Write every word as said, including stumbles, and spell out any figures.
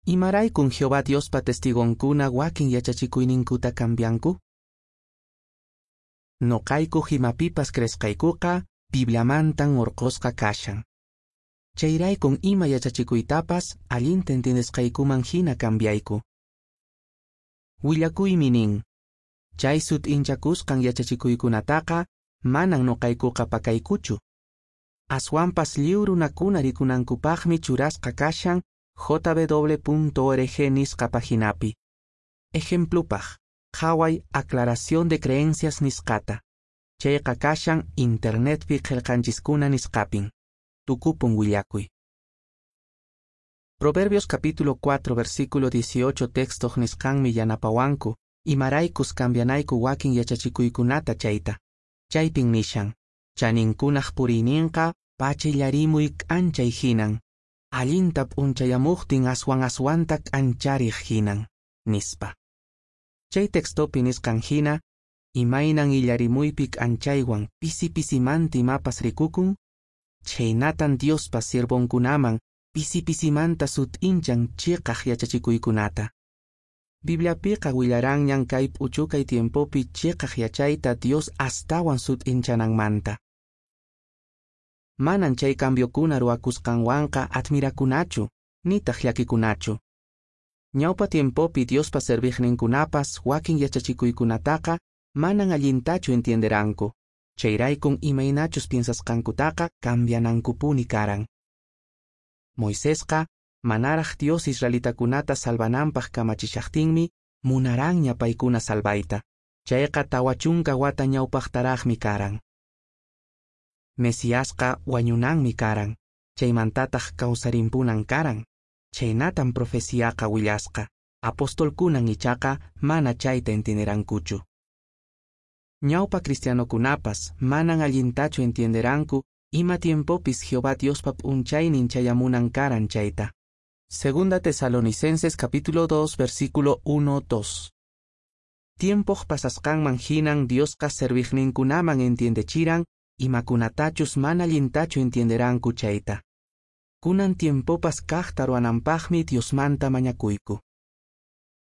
Imaraykun Jehová Diospa testigonkuna wakin yachachikuyninkuta cambianku? Noqaykuq imapipas creesqaykuqa Bibliamantan orqosqa kashan. Chayraykun ima yachachikuytapas allinta entiendesqaykuman hina cambiayku. Willakuymi nin, chay sut'inchakusqan yachachikuykunataqa manan noqaykuqa pakaykuchu. Aswanpas lliw runakuna rikunankupaqmi churasqa kashan J W punto org nisqa paginapi. Ejemplupaq, qhaway Aclaración de creencias nisqata. Chayqa kashan internetpi qillqanchiskuna nisqapin. Tukupun willakuy. Proverbios capítulo cuatro versículo dieciocho textoq nisqanmi yanapawanku, imaraykus cambianayku wakin yachachikuykunata chayta. Chaypin nishan, chaninkunaq puriyninqa pacha illarimuy k'anchay hinan, allinta p'unchayamuqtin aswan aswanta k'anchariq hinan, nispa. Chay textopi nisqan hina, imaynan illarimuypi k'anchaywan pisi pisimanta imapas rikukun, chhaynatan Diospa siervonkunaman pisi pisimanta sut'inchan chiqaq yachachikuykunata. Bibliapiqa willaranñan kay p'uchukay tiempopi chiqaq yachayta Dios astawan sut'inchananmanta. Manan chay cambiokuna ruwakusqanwanqa admirakunachu, nitaq llakikunachu. Ñawpa tiempopi Diospa serviqninkunapas wakin yachachikuykunataqa manan allintachu entienderanku. Chayraykun imaynachus piensasqankutaqa cambianankupuni karan. Moisesqa manaraq Dios israelitakunata salvananpaq kamachishaqtinmi munaranña paykuna salvayta. Chayqa tawa chunka wata ñawpaqtaraqmi karan. Mesiasqa wañunanmi karan, chaymantataq kawsarimpunan karan. Chhaynatan profeciaqa willasqa. Apostolkunan ichaqa mana chayta entienderankuchu. Ñawpa cristianokunapas manan allintachu entienderanku ima tiempopis Jehová Diospa p'unchaynin chayamunan karan chayta. Segunda Tesalonicenses capítulo dos versículo uno dos. Tiempoq pasasqanman hinan Diosqa serviqninkunaman entiendechiran imakunatachus mana allintachu entienderanku chayta. Kunan tiempopas kaqta ruwananpaqmi Diosmanta mañakuyku.